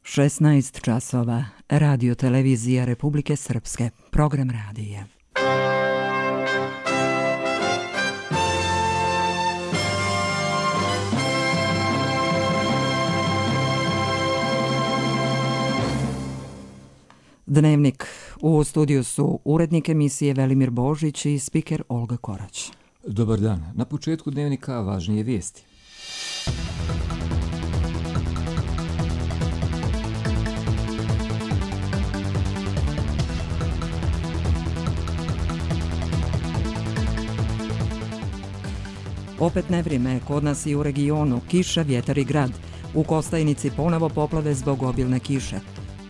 16 časova. Radio televizija Republike Srpske. Program radija. Dnevnik. U studiju su urednik emisije Velimir Božić i spiker Olga Korać. Dobar dan. Na početku dnevnika važnije vijesti. Opet nevrijeme kod nas i u regionu, kiša, vjetar i grad. U Kostajnici ponovo poplave zbog obilne kiše.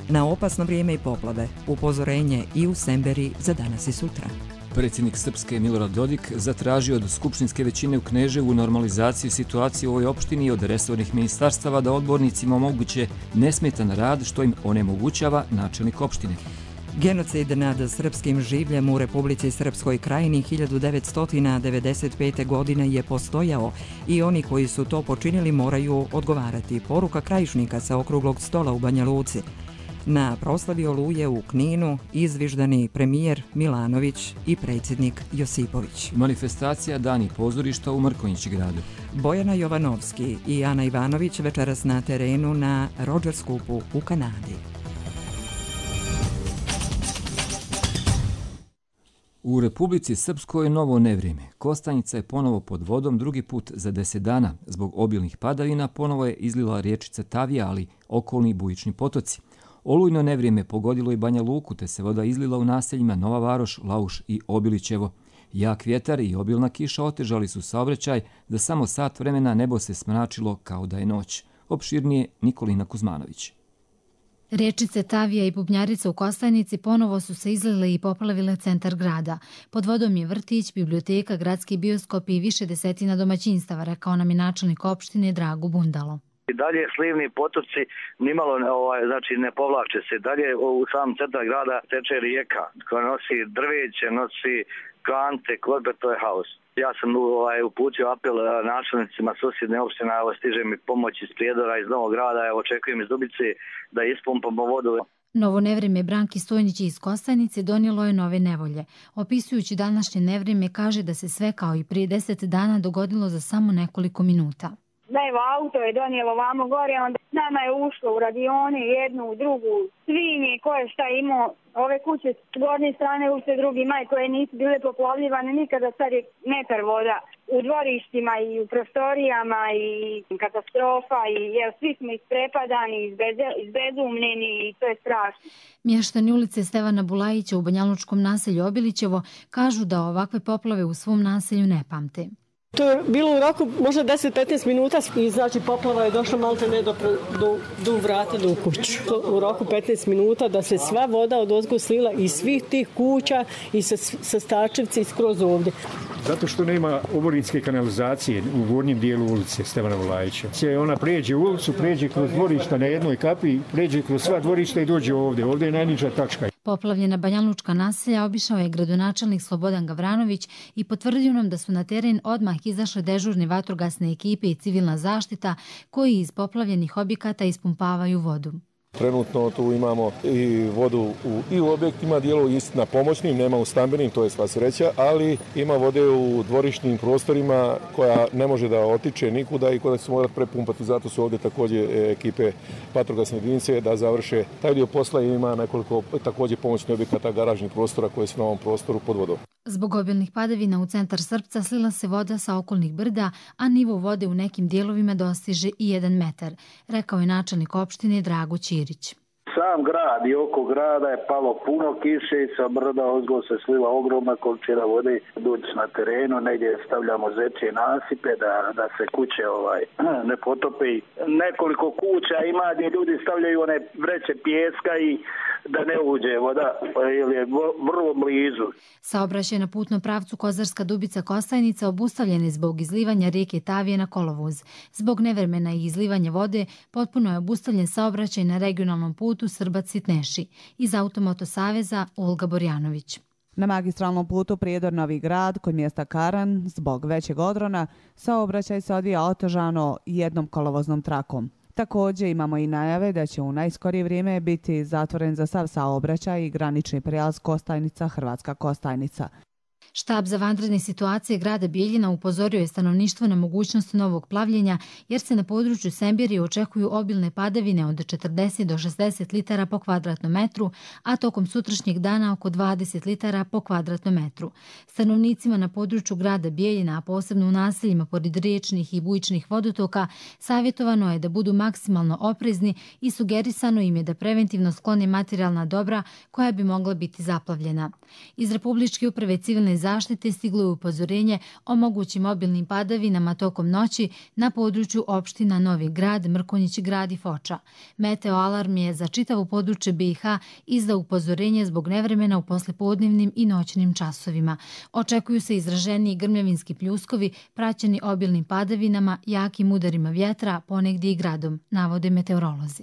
Na opasno vrijeme i poplave, upozorenje i u Semberi za danas i sutra. Predsjednik Srpske Milorad Dodik zatražio od skupštinske većine u Kneževu normalizaciju situacije u ovoj opštini i od resornih ministarstava da odbornicima omoguće nesmetan rad što im onemogućava načelnik opštine. Genocid nad srpskim življem u Republici Srpskoj Krajini 1995. godine je postojao i oni koji su to počinili moraju odgovarati. Poruka Krajišnika sa okruglog stola u Banja Luci. Na proslavi Oluje u Kninu izviždani premijer Milanović i predsjednik Josipović. Manifestacija Dani pozorišta u Mrkonjić gradu. Bojana Jovanovski i Ana Ivanović večeras na terenu na Rogers Cupu u Kanadi. U Republici Srpskoj novo nevrijeme. Kostajnica je ponovo pod vodom drugi put za 10 dana. Zbog obilnih padavina ponovo je izlila riječica Tavija, ali okolni bujični potoci. Olujno nevrijeme pogodilo i Banja Luku, te se voda izlila u naseljima Nova Varoš, Lauš i Obilićevo. Jak vjetar i obilna kiša otežali su saobraćaj, za samo sat vremena nebo se smračilo kao da je noć. Opširnije Nikolina Kuzmanović. Riječice Tavija i Bubnjarica u Kostajnici ponovo su se izlile i poplavile centar grada. Pod vodom je vrtić, biblioteka, gradski bioskop i više desetina domaćinstava, rekao nam je načelnik opštine Drago Bundalo. I dalje slivni potoci nimalo znači ne povlače se. Dalje u sam centar grada teče rijeka koja nosi drveće, nosi kante, klorbe, to je haos. Ja sam uputio apel načelnicima susjedne opštine, evo stiže mi pomoć iz Prijedora, iz Novog grada, evo očekujem iz Dubice da ispumpamo vodu. Novo nevrijeme Branki Stojnić iz Kostajnice donijelo je nove nevolje. Opisujući današnje nevrijeme kaže da se sve kao i prije 10 dana dogodilo za samo nekoliko minuta. Da evo auto je donijelo vamo gore, onda nama je ušlo u radione, jednu, drugu, svinje, koje šta imao, ove kuće s gornje strane ušte drugi maj koje nisu bile poplavljivane nikada, sad je metar voda u dvorištima i u prostorijama i katastrofa i svi smo isprepadani, izbezumljeni i to je strašno. Mještani ulice Stevana Bulajića u banjalučkom naselju Obilićevo kažu da ovakve poplave u svom naselju ne pamte. To je bilo u roku možda 10-15 minuta i znači poplava je došla malte ne do vrata do kuću. U roku 15 minuta da se sva voda od ozgo slila iz svih tih kuća i sa Stačevci skroz ovdje. Zato što nema oborinske kanalizacije u gornjem dijelu ulice Stevana Bulajića. Ona pređe u ulicu, pređe kroz dvorišta na jednoj kapi, pređe kroz sva dvorišta i dođe ovdje. Ovdje je najniža tačka. Poplavljena banjalučka naselja obišao je gradonačelnik Slobodan Gavranović i potvrdio nam da su na teren odmah izašle dežurne vatrogasne ekipe i civilna zaštita koji iz poplavljenih objekata ispumpavaju vodu. Trenutno tu imamo i vodu i u objektima, dijelo istina pomoćnim, nema u stambenim, to je sva sreća, ali ima vode u dvorišnim prostorima koja ne može da otiče nikuda i koja se mora prepumpati. Zato su ovdje također ekipe vatrogasne jedinice da završe taj dio posla i ima nekoliko također pomoćnih objekata garažnih prostora koje su na ovom prostoru pod vodom. Zbog obilnih padavina u centar Srpca slila se voda sa okolnih brda, a nivo vode u nekim dijelovima dostiže i 1 metar, rekao je načelnik opštine Drago Ćirić. Sam grad i oko grada je palo puno kiše i sa brda ozgo se slila ogromna količina vode. Doći na terenu, negdje stavljamo zečje nasipe da se kuće ne potope. Nekoliko kuća ima gdje ljudi stavljaju one vreće pijeska i da ne uđe voda, jer je vrlo blizu. Saobraćaj na putnom pravcu Kozarska Dubica Kostajnica obustavljen je zbog izlivanja rijeke Tavije na kolovoz. Zbog nevremena i izlivanja vode potpuno je obustavljen saobraćaj na regionalnom putu Srbac-Sitneši. Iz Automoto saveza Olga Borjanović. Na magistralnom putu Prijedor-Novi Grad kod mjesta Karan zbog većeg odrona saobraćaj se odvija otežano jednom kolovoznom trakom. Također imamo i najave da će u najskorije vrijeme biti zatvoren za sav saobraćaj i granični prijelaz Kostajnica-Hrvatska Kostajnica. Štab za vanredne situacije grada Bijeljina upozorio je stanovništvo na mogućnost novog plavljenja jer se na području Sembirije očekuju obilne padavine od 40 do 60 litara po kvadratnom metru, a tokom sutrašnjeg dana oko 20 litara po kvadratnom metru. Stanovnicima na području grada Bijeljina, a posebno u naseljima pored riječnih i bujičnih vodotoka, savjetovano je da budu maksimalno oprezni i sugerisano im je da preventivno sklone materijalna dobra koja bi mogla biti zaplavljena. Iz Republičke uprave civilne zaštite stiglo je upozorenje o mogućim obilnim padavinama tokom noći na području opština Novi Grad, Mrkonjić Grad i Foča. Meteo alarm je za čitavo područje BiH izdao upozorenje zbog nevremena u poslepodnevnim i noćnim časovima. Očekuju se izraženiji grmljavinski pljuskovi praćeni obilnim padavinama, jakim udarima vjetra, ponegdje i gradom, navode meteorolozi.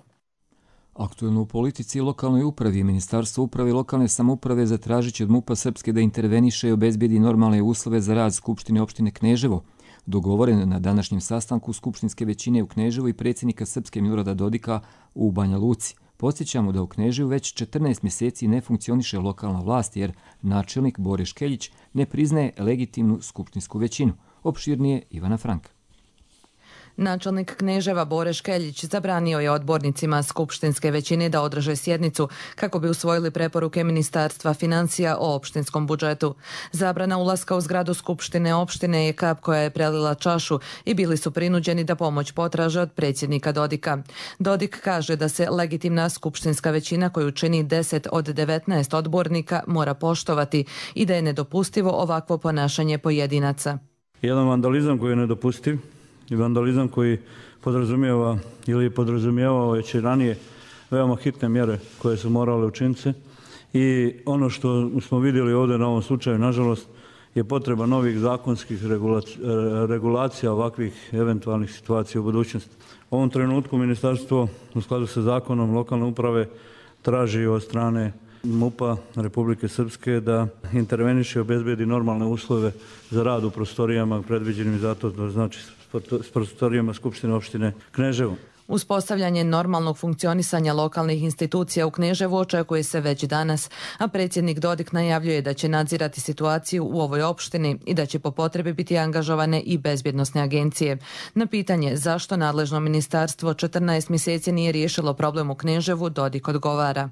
Aktuelno u politici i lokalnoj upravi i Ministarstvo uprave i lokalne samouprave zatražit će od MUP-a Srpske da interveniše i obezbedi normalne uslove za rad Skupštine opštine Kneževo. Dogovoren na današnjem sastanku skupštinske većine u Kneževu i predsjednika Srpske Milorada Dodika u Banja Luci. Podsjećamo da u Kneževu već 14 mjeseci ne funkcioniše lokalna vlast jer načelnik Bore Škeljić ne priznaje legitimnu skupštinsku većinu. Opširnije Ivana Franka. Načelnik Kneževa Bore Škeljić zabranio je odbornicima skupštinske većine da održe sjednicu kako bi usvojili preporuke Ministarstva financija o opštinskom budžetu. Zabrana ulaska u zgradu skupštine opštine je kap koja je prelila čašu i bili su prinuđeni da pomoć potraže od predsjednika Dodika. Dodik kaže da se legitimna skupštinska većina koju čini 10 od 19 odbornika mora poštovati i da je nedopustivo ovakvo ponašanje pojedinaca. Jedan vandalizam koji je nedopustiv i vandalizam koji podrazumijeva ili je podrazumijevao već i ranije veoma hitne mjere koje su morale učiniti i ono što smo vidjeli ovdje na ovom slučaju, nažalost, je potreba novih zakonskih regulacija ovakvih eventualnih situacija u budućnosti. U ovom trenutku ministarstvo u skladu sa zakonom lokalne uprave traži od strane MUP-a Republike Srpske da interveniše i obezbedi normalne uslove za rad u prostorijama predviđenim za to, to znači s prostorijama Skupštine opštine Kneževo. Uspostavljanje normalnog funkcionisanja lokalnih institucija u Kneževu očekuje se već danas, a predsjednik Dodik najavljuje da će nadzirati situaciju u ovoj opštini i da će po potrebi biti angažovane i bezbjednosne agencije. Na pitanje zašto nadležno ministarstvo 14 mjeseci nije riješilo problem u Kneževu, Dodik odgovara.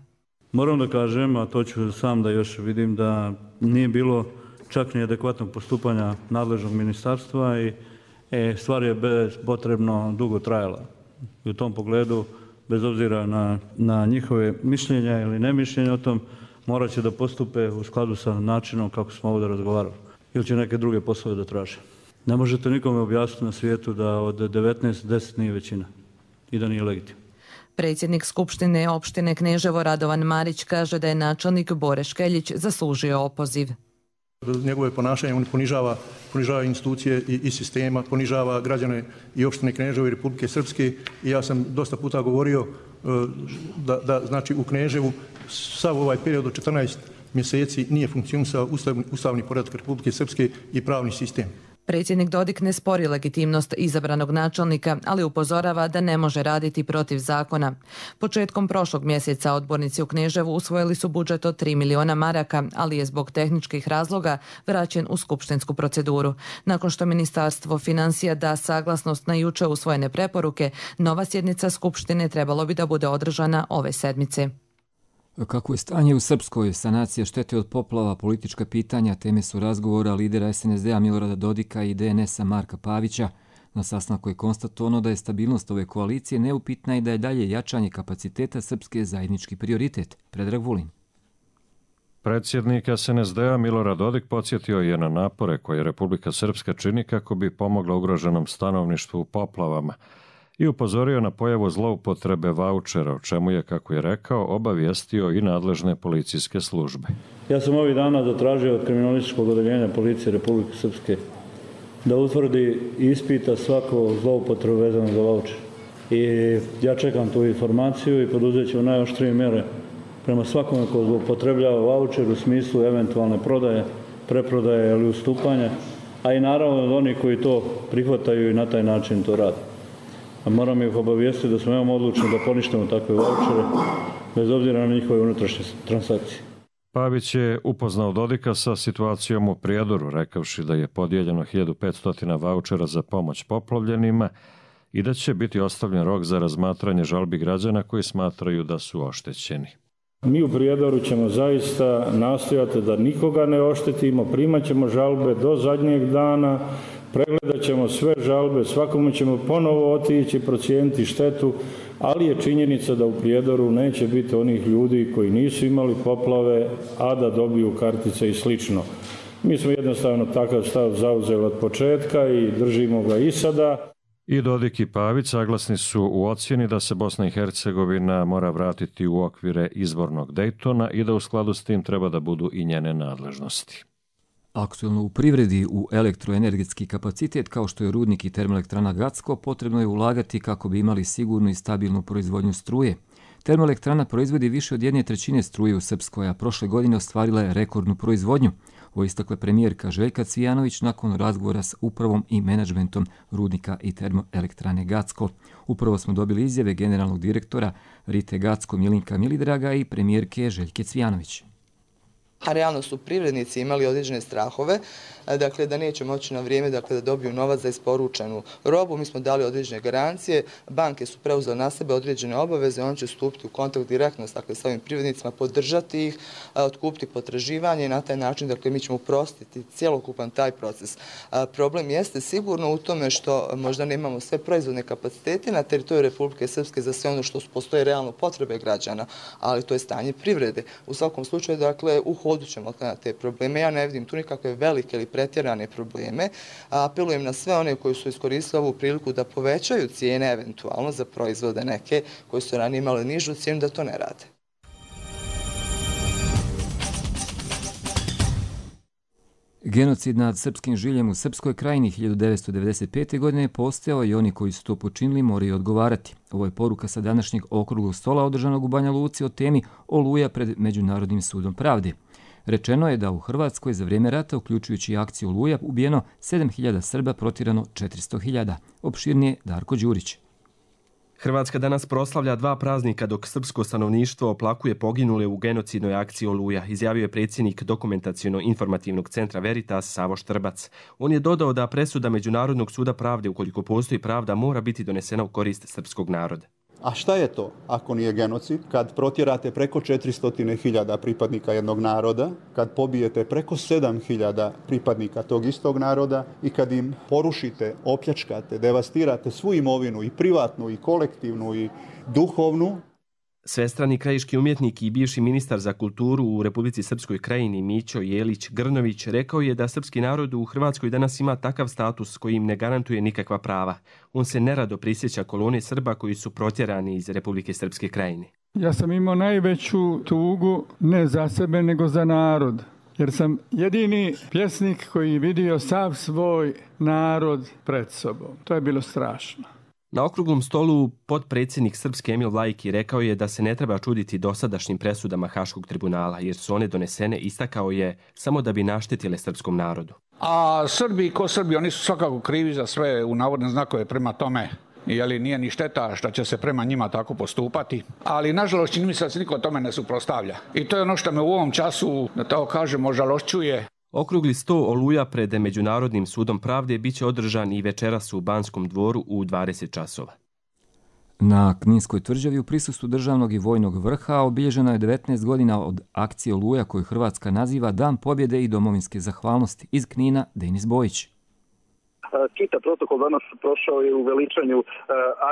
Moram da kažem, a to ću sam da još vidim, da nije bilo čak ni adekvatnog postupanja nadležnog ministarstva i stvar je potrebno dugo trajala. I u tom pogledu, bez obzira na njihove mišljenja ili nemišljenja o tom, morat će da postupe u skladu sa načinom kako smo ovdje razgovarali. Ili će neke druge poslove da traže. Ne možete nikome objasniti na svijetu da od 19, 10 nije većina i da nije legitimno. Predsjednik Skupštine opštine Kneževo Radovan Marić kaže da je načelnik Bore Škeljić zaslužio opoziv. Njegove ponašanje on ponižava institucije i sistema, ponižava građane i opštine Kneževo i Republike Srpske i ja sam dosta puta govorio da znači u Kneževu sav ovaj period od 14 mjeseci nije funkcionisao ustavni poredak Republike Srpske i pravni sistem. Predsjednik Dodik ne spori legitimnost izabranog načelnika, ali upozorava da ne može raditi protiv zakona. Početkom prošlog mjeseca odbornici u Kneževu usvojili su budžet od 3 miliona maraka, ali je zbog tehničkih razloga vraćen u skupštinsku proceduru. Nakon što Ministarstvo financija da saglasnost na juče usvojene preporuke, nova sjednica Skupštine trebalo bi da bude održana ove sedmice. Kako je stanje u Srpskoj, sanacija štete od poplava, politička pitanja, teme su razgovora lidera SNSD-a Milorada Dodika i DNS-a Marka Pavića. Na sastanku je konstatovano da je stabilnost ove koalicije neupitna i da je dalje jačanje kapaciteta Srpske zajednički prioritet. Predrag Vulin. Predsjednik SNSD-a Milorad Dodik podsjetio je na napore koje Republika Srpska čini kako bi pomogla ugroženom stanovništvu u poplavama i upozorio na pojavu zloupotrebe vaučera, o čemu je, kako je rekao, obavijestio i nadležne policijske službe. Ja sam ovih dana zatražio od kriminalističkog odeljenja policije Republike Srpske da utvrdi i ispita svako zloupotrebu vezano za vaučer. I ja čekam tu informaciju i poduzet ću najoštrije mjere prema svakome ko zloupotrebljava vaučer u smislu eventualne prodaje, preprodaje ili ustupanja, a i naravno od onih koji to prihvataju i na taj način to rade. a moram ih obavijestiti da smo veoma odlučni da poništimo takve vaučere, bez obzira na njihove unutrašnje transakcije. Pavić je upoznao Dodika sa situacijom u Prijedoru, rekavši da je podijeljeno 1500 vaučera za pomoć poplavljenima i da će biti ostavljen rok za razmatranje žalbi građana koji smatraju da su oštećeni. Mi u Prijedoru ćemo zaista nastojati da nikoga ne oštetimo, primat ćemo žalbe do zadnjeg dana, pregledat ćemo sve žalbe, svakome ćemo ponovo otići, procijeniti štetu, ali je činjenica da u Prijedoru neće biti onih ljudi koji nisu imali poplave, a da dobiju kartice i slično. Mi smo jednostavno takav stav zauzeli od početka i držimo ga i sada. I Dodik i Pavić saglasni su u ocjeni da se Bosna i Hercegovina mora vratiti u okvire izbornog Dejtona i da u skladu s tim treba da budu i njene nadležnosti. Aktualno u privredi u elektroenergetski kapacitet kao što je rudnik i termoelektrana Gacko potrebno je ulagati kako bi imali sigurnu i stabilnu proizvodnju struje. Termoelektrana proizvodi više od 1/3 struje u Srpskoj, a prošle godine ostvarila je rekordnu proizvodnju. Ovo istakla premijerka Željka Cvijanović nakon razgovora s upravom i menadžmentom rudnika i termoelektrane Gacko. Upravo smo dobili izjave generalnog direktora Rite Gacko Milinka Milidraga i premijerke Željke Cvijanović. A realno su privrednici imali određene strahove, dakle da neće moći na vrijeme da dobiju novac za isporučenu robu. Mi smo dali određene garancije, banke su preuzele na sebe određene obaveze, on će stupiti u kontakt direktno sa ovim privrednicima, podržati ih, otkupiti potraživanje i na taj način mi ćemo uprostiti cjelokupan taj proces. Problem jeste sigurno u tome što možda nemamo sve proizvodne kapacitete na teritoriju Republike Srpske za sve ono što postoje realno potrebe građana, ali to je stanje privrede. U svakom slučaju, u hodu ćemo na te probleme. Ja ne vidim tu nikakve velike ili pretjerane probleme. Apelujem na sve one koji su iskoristili ovu priliku da povećaju cijene eventualno za proizvode neke koji su ranije imali nižu cijenu da to ne rade. Genocid nad srpskim žiljem u Srpskoj krajini 1995. godine postojao i oni koji su to počinili moraju odgovarati. Ovo je poruka sa današnjeg okruglog stola održanog u Banja Luci o temi Oluja pred Međunarodnim sudom pravde. Rečeno je da u Hrvatskoj za vrijeme rata, uključujući akciju Oluja, ubijeno 7.000 Srba, protirano 400.000. Opširnije Darko Đurić. Hrvatska danas proslavlja 2 praznika dok srpsko stanovništvo oplakuje poginule u genocidnoj akciji Oluja, izjavio je predsjednik dokumentaciono-informativnog centra Veritas Savo Štrbac. On je dodao da presuda Međunarodnog suda pravde, ukoliko postoji pravda, mora biti donesena u korist srpskog naroda. A šta je to ako nije genocid? Kad protjerate preko 400.000 pripadnika jednog naroda, kad pobijete preko 7.000 pripadnika tog istog naroda i kad im porušite, opljačkate, devastirate svu imovinu, i privatnu, i kolektivnu, i duhovnu. Svestrani krajiški umjetnik i bivši ministar za kulturu u Republici Srpskoj krajini Mićo Jelić Grnović rekao je da srpski narod u Hrvatskoj danas ima takav status koji im ne garantuje nikakva prava. On se nerado prisjeća kolone Srba koji su protjerani iz Republike Srpske krajine. Ja sam imao najveću tugu ne za sebe nego za narod. Jer sam jedini pjesnik koji vidio sav svoj narod pred sobom. To je bilo strašno. Na okruglom stolu potpredsjednik Srpske Emil Lajki rekao je da se ne treba čuditi dosadašnjim presudama Haškog tribunala, jer su one donesene, istakao je, samo da bi naštetile srpskom narodu. A Srbi ko Srbi, oni su svakako krivi za sve u navodne znakove, prema tome. Nije ni šteta što će se prema njima tako postupati. Ali nažalost čini mi se da se niko tome ne suprotstavlja. I to je ono što me u ovom času, da tako kažemo, žalošćuje. Okrugli sto Oluja pred Međunarodnim sudom pravde biće održan i večeras u Banskom dvoru u 20 časova. Na Kninskoj tvrđavi u prisustvu državnog i vojnog vrha obilježeno je 19 godina od akcije Oluja koju Hrvatska naziva Dan pobjede i domovinske zahvalnosti. Iz Knina Denis Bojić. Čitav protokol danas prošao je u veličanju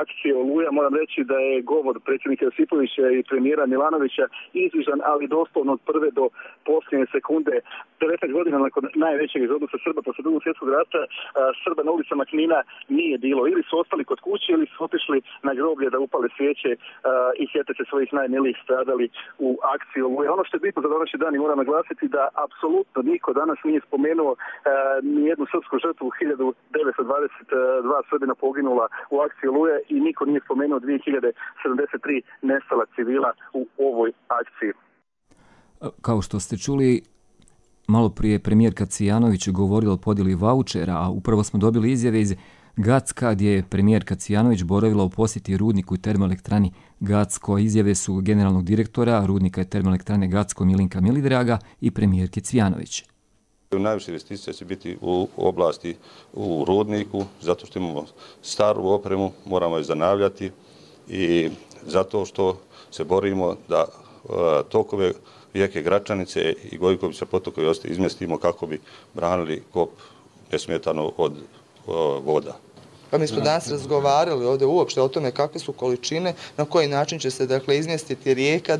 akcije Oluja. Moram reći da je govor predsjednika Josipovića i premijera Milanovića izvižan, ali doslovno od prve do posljednje sekunde. 19 godina nakon najvećeg egzodusa Srba posle Drugog svjetskog rata, Srba na ulicama Knina nije bilo. Ili su ostali kod kuće ili su otišli na groblje da upale svijeće i sjete se svojih najmilijih stradali u akciji Oluja. Ono što je bitno za današnji dan i moram naglasiti da apsolutno niko danas nije spomenuo ni jednu srpsku žrtvu 1922 Srbina poginula u akciji Oluje i niko nije spomenuo 2073 nestala civila u ovoj akciji. Kao što ste čuli, malo prije premijerka Cvijanović govorila o podjeli vaučera, a upravo smo dobili izjave iz Gacka, gdje je premijerka Cvijanović boravila u posjeti rudniku i termoelektrani Gacko. Izjave su generalnog direktora rudnika i termoelektrane Gacko Milinka Milidraga i premijerke Cvijanović. Najviše investicija će biti u oblasti u rudniku, zato što imamo staru opremu, moramo je zanavljati i zato što se borimo da tokove rijeke Gračanice i Gojkovića potokovi izmjestimo kako bi branili kop nesmetano od voda. Pa mi smo danas razgovarali ovdje uopšte o tome kakve su količine, na koji način će se izmjestiti rijeka,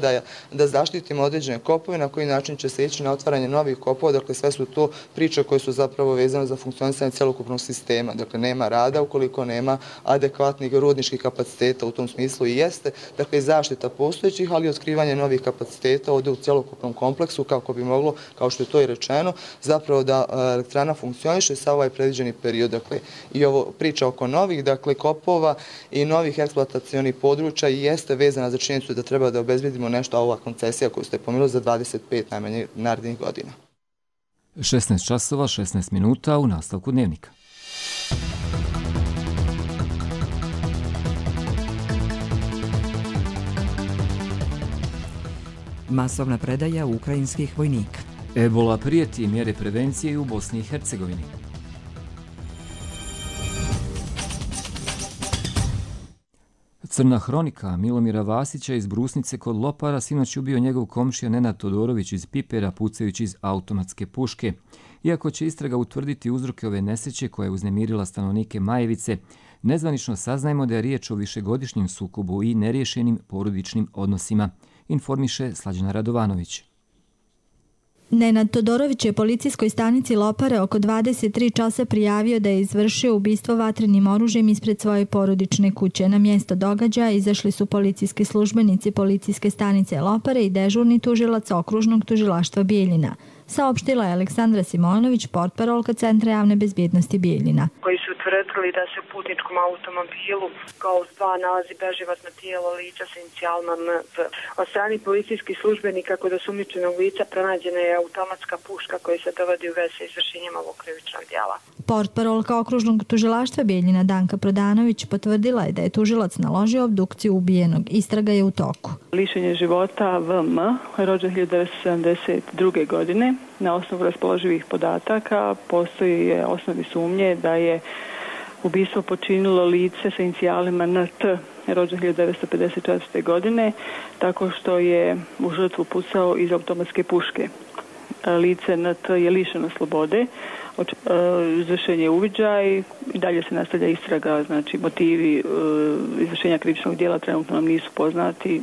da zaštitimo određene kopove, na koji način će se ići na otvaranje novih kopova. Dakle, sve su to priče koje su zapravo vezane za funkcionisanje cjelokupnog sistema. Dakle, nema rada ukoliko nema adekvatnih rudničkih kapaciteta, u tom smislu i jeste. Dakle, zaštita postojećih, ali i otkrivanje novih kapaciteta ovdje u cjelokupnom kompleksu kako bi moglo, kao što je to i rečeno, zapravo da elektrana funkcioniše sa ovaj predviđeni period. Dakle, i ovo priča oko novih kopova i novih eksploatacionih područja i jeste vezana za činjenicu da treba da obezbedimo nešto, a ova koncesija koju ste pomenuli za 25 najmanje narednih godina. 16 časova, 16 minuta u nastavku dnevnika. Masovna predaja ukrajinskih vojnika. Ebola prijeti, mjere prevencije u Bosni i Hercegovini. Crna hronika Milomira Vasića iz Brusnice kod Lopara sinoć ubio njegov komšija Nenad Todorović iz Pipera pucajući iz automatske puške. Iako će istraga utvrditi uzroke ove nesreće koja je uznemirila stanovnike Majevice, nezvanično saznajemo da je riječ o višegodišnjem sukobu i neriješenim porodičnim odnosima, informiše Slađana Radovanović. Nenad Todorović je policijskoj stanici Lopare oko 23 časa prijavio da je izvršio ubistvo vatrenim oružjem ispred svoje porodične kuće. Na mjesto događaja izašli su policijski službenici policijske stanice Lopare i dežurni tužilac okružnog tužilaštva Bijeljina. Saopštila je Aleksandra Simonović, portparolka Centra javne bezbjednosti Bijeljina. Koji su utvrdili da se u putničkom automobilu kao dva nalazi beživotno tijelo lica sa inicijalima NP. Od strani policijskih službenika kod osumnjičenog lica pronađena je automatska puška koja se dovodi u vezi sa izvršenjem ovog krivičnog djela. Portparolka okružnog tužilaštva Bijeljina Danka Prodanović potvrdila je da je tužilac naložio obdukciju ubijenog. Istraga je u toku. Lišenje života VM, rođen 1972. godine. Na osnovu raspoloživih podataka postoji osnovne sumnje da je ubistvo počinilo lice sa inicijalima NT, rođen 1954. godine, tako što je u žrtvu pucao iz automatske puške. Lice NT je lišeno slobode, izvršen je uviđaj i dalje se nastavlja istraga, znači motivi izvršenja krivičnog djela trenutno nam nisu poznati.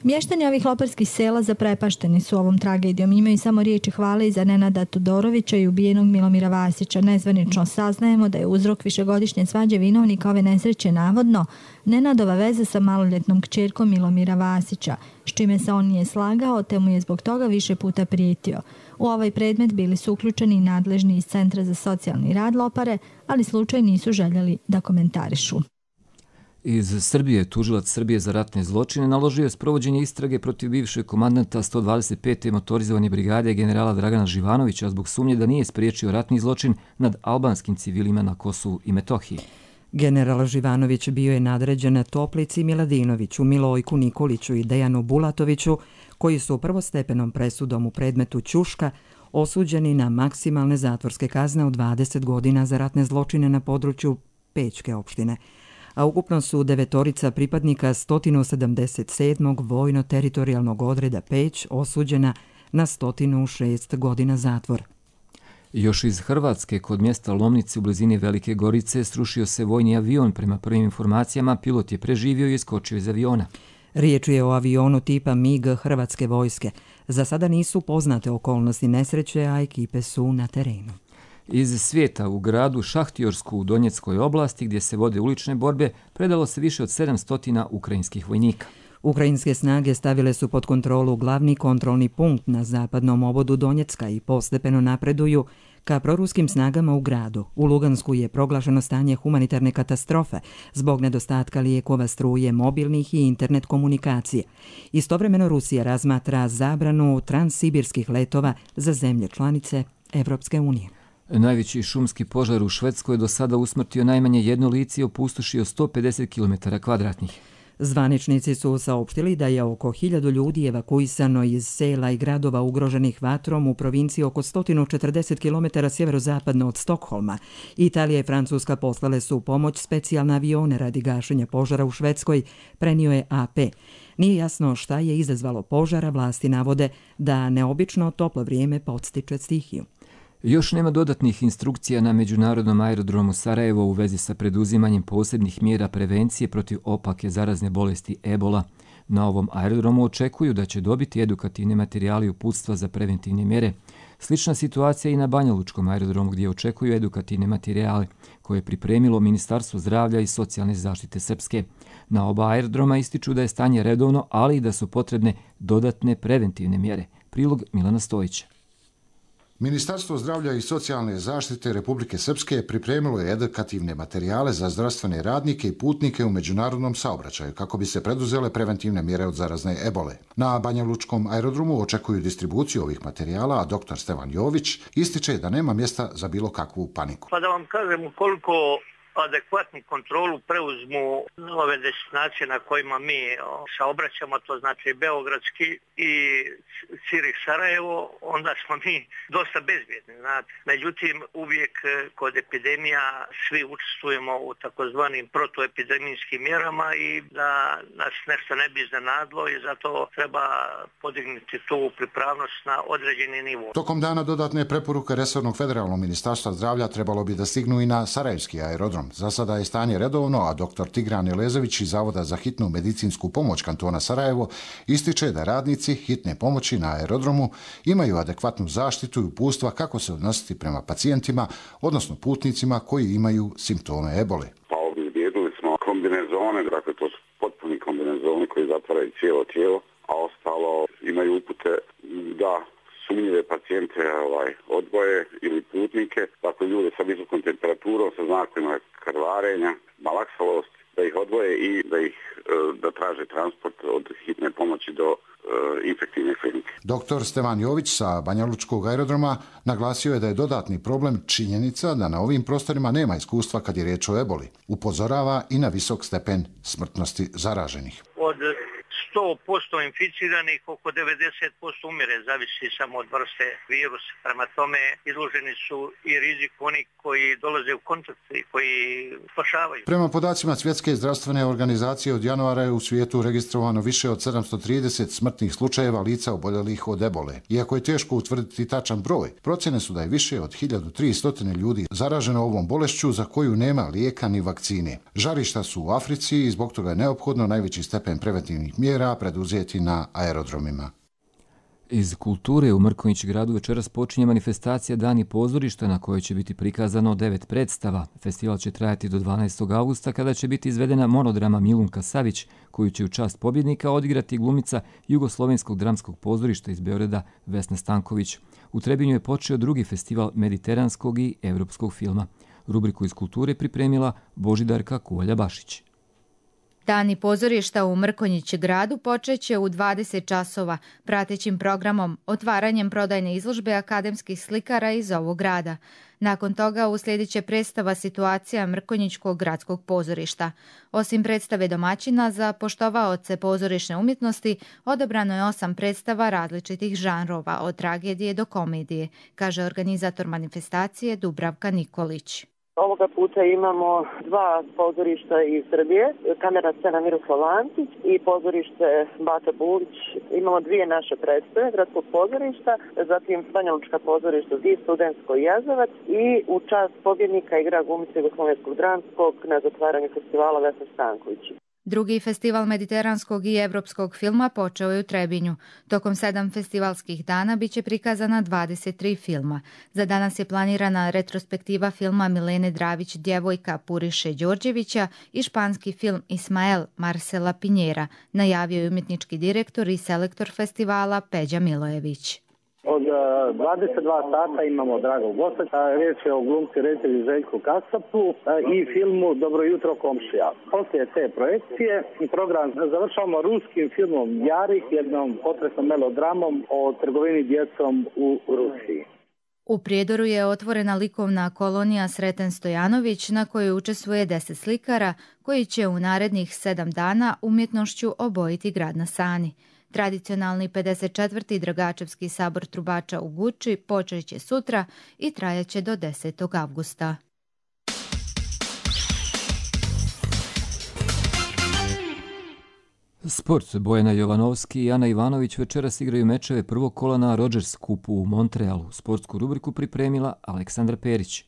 Mještani ovih loparskih sela zaprepašteni su ovom tragedijom. Imaju samo riječi hvale i za Nenada Todorovića i ubijenog Milomira Vasića. Nezvanično saznajemo da je uzrok višegodišnje svađe vinovnika ove nesreće navodno Nenadova veza sa maloljetnom kćerkom Milomira Vasića, s čime se on nije slagao, te mu je zbog toga više puta prijetio. U ovaj predmet bili su uključeni i nadležni iz Centra za socijalni rad Lopare, ali slučaj nisu željeli da komentarišu. Iz Srbije tužilac Srbije za ratne zločine naložio je sprovođenje istrage protiv bivšeg komandanta 125. motorizovane brigade generala Dragana Živanovića zbog sumnje da nije spriječio ratni zločin nad albanskim civilima na Kosovu i Metohiji. General Živanović bio je nadređen Toplici Miladinoviću, Milojku Nikoliću i Dejanu Bulatoviću, koji su prvostepenom presudom u predmetu Ćuška osuđeni na maksimalne zatvorske kazne od 20 godina za ratne zločine na području Pečke opštine, a ukupno su 9 pripadnika 177. vojno-teritorijalnog odreda Peć osuđena na 106 godina zatvora. Još iz Hrvatske, kod mjesta Lomnice u blizini Velike Gorice, srušio se vojni avion. Prema prvim informacijama, pilot je preživio i iskočio iz aviona. Riječ je o avionu tipa MiG Hrvatske vojske. Za sada nisu poznate okolnosti nesreće, a ekipe su na terenu. Iz svijeta u gradu Šahtjorsku u Donjeckoj oblasti, gdje se vode ulične borbe, predalo se više od 700 ukrajinskih vojnika. Ukrajinske snage stavile su pod kontrolu glavni kontrolni punkt na zapadnom obodu Donjecka i postepeno napreduju ka proruskim snagama u gradu. U Lugansku je proglašeno stanje humanitarne katastrofe zbog nedostatka lijekova, struje, mobilnih i internet komunikacije. Istovremeno Rusija razmatra zabranu transsibirskih letova za zemlje članice Evropske unije. Najveći šumski požar u Švedskoj je do sada usmrtio najmanje jedno lice i opustošio 150 km². Zvaničnici su saopštili da je oko 1000 ljudi evakuisano iz sela i gradova ugroženih vatrom u provinciji oko 140 km sjeverozapadno od Stokholma. Italija i Francuska poslale su pomoć specijalne avione radi gašenja požara u Švedskoj, prenio je AP. Nije jasno šta je izazvalo požara, vlasti navode da neobično toplo vrijeme podstiče stihiju. Još nema dodatnih instrukcija na Međunarodnom aerodromu Sarajevo u vezi sa preduzimanjem posebnih mjera prevencije protiv opake zarazne bolesti Ebola. Na ovom aerodromu očekuju da će dobiti edukativne materijale i uputstva za preventivne mjere. Slična situacija i na Banjalučkom aerodromu gdje očekuju edukativne materijale koje je pripremilo Ministarstvo zdravlja i socijalne zaštite Srpske. Na oba aerodroma ističu da je stanje redovno, ali i da su potrebne dodatne preventivne mjere. Prilog Milana Stojića. Ministarstvo zdravlja i socijalne zaštite Republike Srpske pripremilo je edukativne materijale za zdravstvene radnike i putnike u međunarodnom saobraćaju kako bi se preduzele preventivne mjere od zarazne ebole. Na Banjalučkom aerodromu očekuju distribuciju ovih materijala, a dr. Stevan Jović ističe da nema mjesta za bilo kakvu paniku. Pa da vam kažem, ukoliko adekvatnu kontrolu preuzmu nove destinacije na kojima mi saobraćamo, to znači Beogradski i Cirih Sarajevo, onda smo mi dosta bezbjedni. Međutim, uvijek kod epidemija svi učestvujemo u takozvanim protuepidemijskim mjerama i da nas nešto ne bi iznenadilo i zato treba podignuti tu pripravnost na određeni nivo. Tokom dana dodatne preporuke resornog federalnog ministarstva zdravlja trebalo bi da stignu i na Sarajevski aerodrom. Za sada je stanje redovno, a dr. Tigran Elezović iz Zavoda za hitnu medicinsku pomoć kantona Sarajevo ističe da radnici hitne pomoći na aerodromu imaju adekvatnu zaštitu i uputstva kako se odnositi prema pacijentima, odnosno putnicima koji imaju simptome ebole. Pa obezbijedili smo kombinezone, dakle to su potpuni kombinezoni koji zatvaraju cijelo tijelo, a ostalo imaju upute da sumnjive pacijente odgoje ili putnike, dakle ljude sa visokom temperaturom, sa znakovima krvarenja, malaksalost, da ih odvoje i da traže transport od hitne pomoći do infektivne klinike. Dr. Stevan Jović sa Banjalučkog aerodroma naglasio je da je dodatni problem činjenica da na ovim prostorima nema iskustva kad je riječ o eboli. Upozorava i na visok stepen smrtnosti zaraženih. Od 100% inficiranih, oko 90% umire, zavisi samo od vrste virusa. Prema tome izloženi su i rizik oni koji dolaze u kontakt i koji spašavaju. Prema podacima Svjetske zdravstvene organizacije od januara je u svijetu registrovano više od 730 smrtnih slučajeva lica oboljelih od ebole. Iako je teško utvrditi tačan broj, procjene su da je više od 1300 ljudi zaraženo ovom bolešću za koju nema lijeka ni vakcine. Žarišta su u Africi i zbog toga je neophodno najveći stepen preventivnih mjera preduzeti na aerodromima. Iz kulture u Mrkonjić gradu večeras počinje manifestacija Dani pozorišta na kojoj će biti prikazano 9 predstava. Festival će trajati do 12. augusta kada će biti izvedena monodrama Milunka Savić, koju će u čast pobjednika odigrati glumica Jugoslovenskog dramskog pozorišta iz Beograda Vesna Stanković. U Trebinju je počeo drugi festival mediteranskog i evropskog filma. Rubriku iz kulture pripremila Božidarka Kuvalja-Bašić. Dani pozorišta u Mrkonjić gradu počeće u 20 časova, pratećim programom, otvaranjem prodajne izložbe akademskih slikara iz ovog grada. Nakon toga uslijedit će predstava Situacija Mrkonjićkog gradskog pozorišta. Osim predstave domaćina za poštovaoce pozorišne umjetnosti, odabrano je 8 predstava različitih žanrova, od tragedije do komedije, kaže organizator manifestacije Dubravka Nikolić. Ovoga puta imamo 2 pozorišta iz Srbije, kamerna scena Miroslav Antić i pozorište Bata Bulić. Imamo 2 naše predstave, gradskog pozorišta, zatim Banjalučka pozorišta i Studentsko Jazavac i u čast pobjednika igra glumica Jugoslovenskog dramskog na zatvaranju festivala Vesna Stanković. Drugi festival mediteranskog i evropskog filma počeo je u Trebinju. Tokom 7 festivalskih dana biće prikazana 23 filma. Za danas je planirana retrospektiva filma Milene Dravić Djevojka Puriše Đorđevića i španski film Ismael Marcela Pinjera, najavio je umjetnički direktor i selektor festivala Peđa Milojević. Od 22 sata imamo dragog gosta, riječ je o glumci reditelju Željku Kasapu i filmu Dobro jutro komšija. Poslije te projekcije program završavamo ruskim filmom Jarih, jednom potresnom melodramom o trgovini djecom u Rusiji. U Prijedoru je otvorena likovna kolonija Sreten Stojanović na kojoj učestvuje 10 slikara koji će u narednih 7 dana umjetnošću obojiti grad na Sani. Tradicionalni 54. Dragačevski sabor trubača u Guči počet će sutra i trajaće do 10. avgusta. Sport. Bojana Jovanovski i Ana Ivanović večeras igraju mečeve prvog kola na Rogers Cupu u Montrealu. Sportsku rubriku pripremila Aleksandra Perić.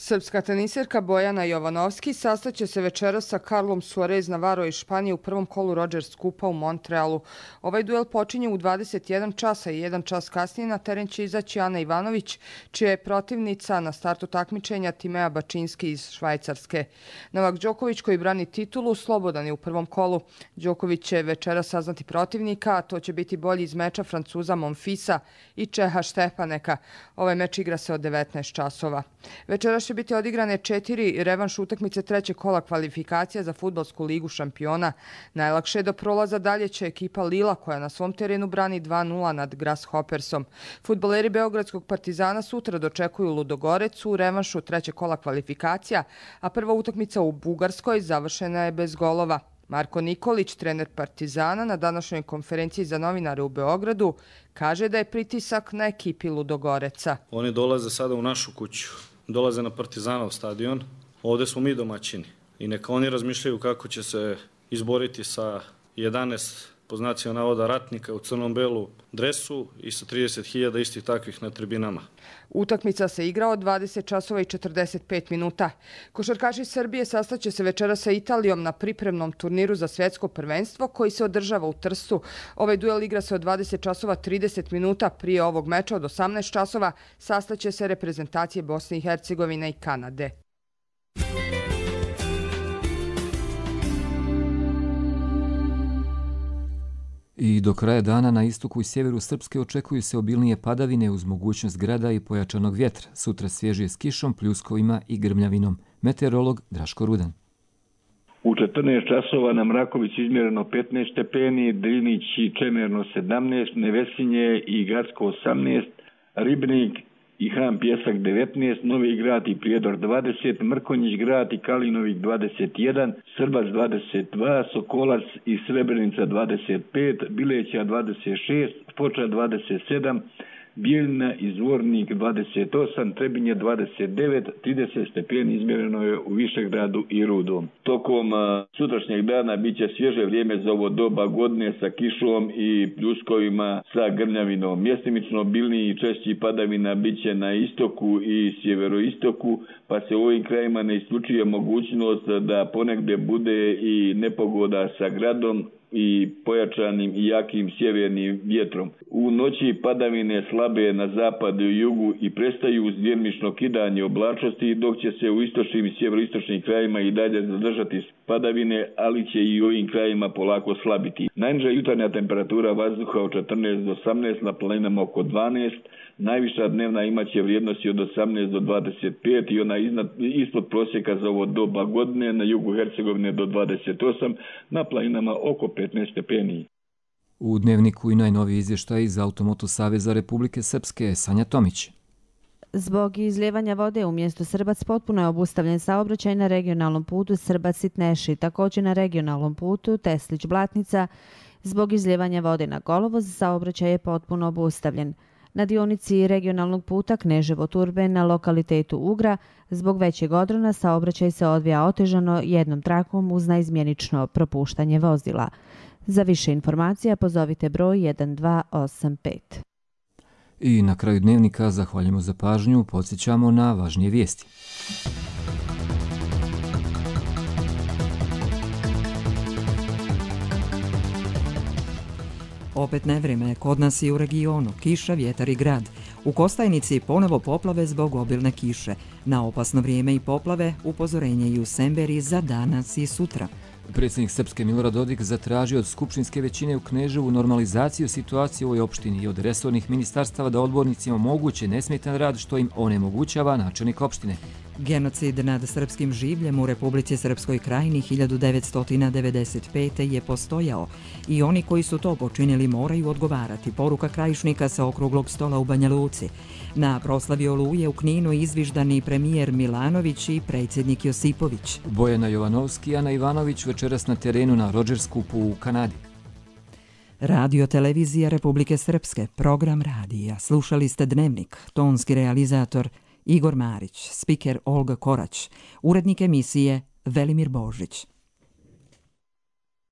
Srpska teniserka Bojana Jovanovski sastaće se večeras sa Carlom Suarez Navarro iz Španije u prvom kolu Rogers Cupa u Montrealu. Ovaj duel počinje u 21 časa i 1 čas kasnije na teren će izaći Ana Ivanović, čija je protivnica na startu takmičenja Timea Bačinski iz Švajcarske. Novak Đoković, koji brani titulu, slobodan je u prvom kolu. Đoković će večeras saznati protivnika, a to će biti bolji iz meča Francuza Monfisa i Čeha Štepaneka. Ovaj meč igra se od 19 časova. Večeras će biti odigrane 4 revanš utakmice trećeg kola kvalifikacija za fudbalsku ligu šampiona. Najlakše do prolaza dalje će ekipa Lila, koja na svom terenu brani 2-0 nad Grasshoppersom. Fudbaleri Beogradskog Partizana sutra dočekuju Ludogorec u revanšu trećeg kola kvalifikacija, a prva utakmica u Bugarskoj završena je bez golova. Marko Nikolić, trener Partizana, na današnjoj konferenciji za novinare u Beogradu, kaže da je pritisak na ekipi Ludogoreca. Oni dolaze sada u našu kuću, dolaze na Partizanov stadion, ovdje smo mi domaćini i neka oni razmišljaju kako će se izboriti sa 11 po znacima navoda ratnika u crnom-belu dresu i sa 30.000 istih takvih na tribinama. Utakmica se igra od 20 časova i 45 minuta. Košarkaši Srbije sastaće se večera sa Italijom na pripremnom turniru za svjetsko prvenstvo koji se održava u Trstu. Ovaj duel igra se od 20 časova 30 minuta. Prije ovog meča od 18 časova sastaće se reprezentacije Bosne i Hercegovine i Kanade. I do kraja dana na istoku i sjeveru Srpske očekuju se obilnije padavine uz mogućnost grada i pojačanog vjetra. Sutra svježije s kišom, pljuskovima i grmljavinom. Meteorolog Draško Rudan. U 14 časova na Mraković izmjereno 15 stepeni, Drinić i Čemerno 17, Nevesinje i Gacko 18, Ribnik i Hram Pjesak 19, Novi Grad i Prijedor 20, Mrkonjić Grad i Kalinovik 21, Srbac 22, Sokolac i Srebrenica 25, Bileća 26, Foča 27, Bijeljina i Zvornik 28, Trebinje 29, 30 stepeni izmjereno je u Višegradu i Rudom. Tokom sutrašnjeg dana bit će svježe vrijeme za ovo doba godine sa kišom i pljuskovima sa grmljavinom. Mjestimično obilniji i češći padavina bit će na istoku i sjeveroistoku, pa se u ovim krajima ne isključuje mogućnost da ponegdje bude i nepogoda sa gradom i pojačanim i jakim sjevernim vjetrom. U noći padavine slabe na zapadu i jugu i prestaju uz djelomično kidanje oblačnosti, dok će se u istočnim i sjeveroistočnim krajima i dalje zadržati padavine, ali će i u ovim krajima polako slabiti. Najniža jutarnja temperatura vazduha od 14 do 18, na planinama oko 12, najviša dnevna imaće vrijednosti od 18 do 25 i ona ispod prosjeka za ovo doba godine, na jugu Hercegovine do 28, na planinama oko 15 stepeni. U dnevniku i najnoviji izvještaj iz Automoto Saveza Republike Srpske, Sanja Tomić. Zbog izljevanja vode u mjestu Srbac potpuno je obustavljen saobraćaj na regionalnom putu Srbac-Sitneši, također na regionalnom putu Teslić-Blatnica. Zbog izljevanja vode na kolovoz saobraćaj je potpuno obustavljen. Na dionici regionalnog puta Kneževo-Turbe na lokalitetu Ugra zbog većeg odrona saobraćaj se odvija otežano jednom trakom uz naizmjenično propuštanje vozila. Za više informacija pozovite broj 1285. I na kraju dnevnika zahvaljujemo za pažnju, podsjećamo na važnije vijesti. Opet nevrijeme kod nas i u regionu, kiša, vjetar i grad. U Kostajnici ponovo poplave zbog obilne kiše. Na opasno vrijeme i poplave upozorenje i u Semberi za danas i sutra. Predsjednik Srpske Milorad Dodik zatražio od skupštinske većine u Kneževu normalizaciju situacije u ovoj opštini i od resornih ministarstava da odbornicima omoguće nesmetan rad što im onemogućava načelnik opštine. Genocid nad srpskim življem u Republici Srpskoj Krajini 1995. je postojao i oni koji su to počinili moraju odgovarati. Poruka Krajišnika sa okruglog stola u Banja Luci. Na proslavi Oluje u Kninu izviždani premijer Milanović i predsjednik Josipović. Bojana Jovanovski i Ana Ivanović večeras na terenu na Rodgers Cupu u Kanadi. Radio Televizija Republike Srpske, program radija. Slušali ste Dnevnik, tonski realizator Igor Marić, spiker Olga Korać, urednik emisije Velimir Božić.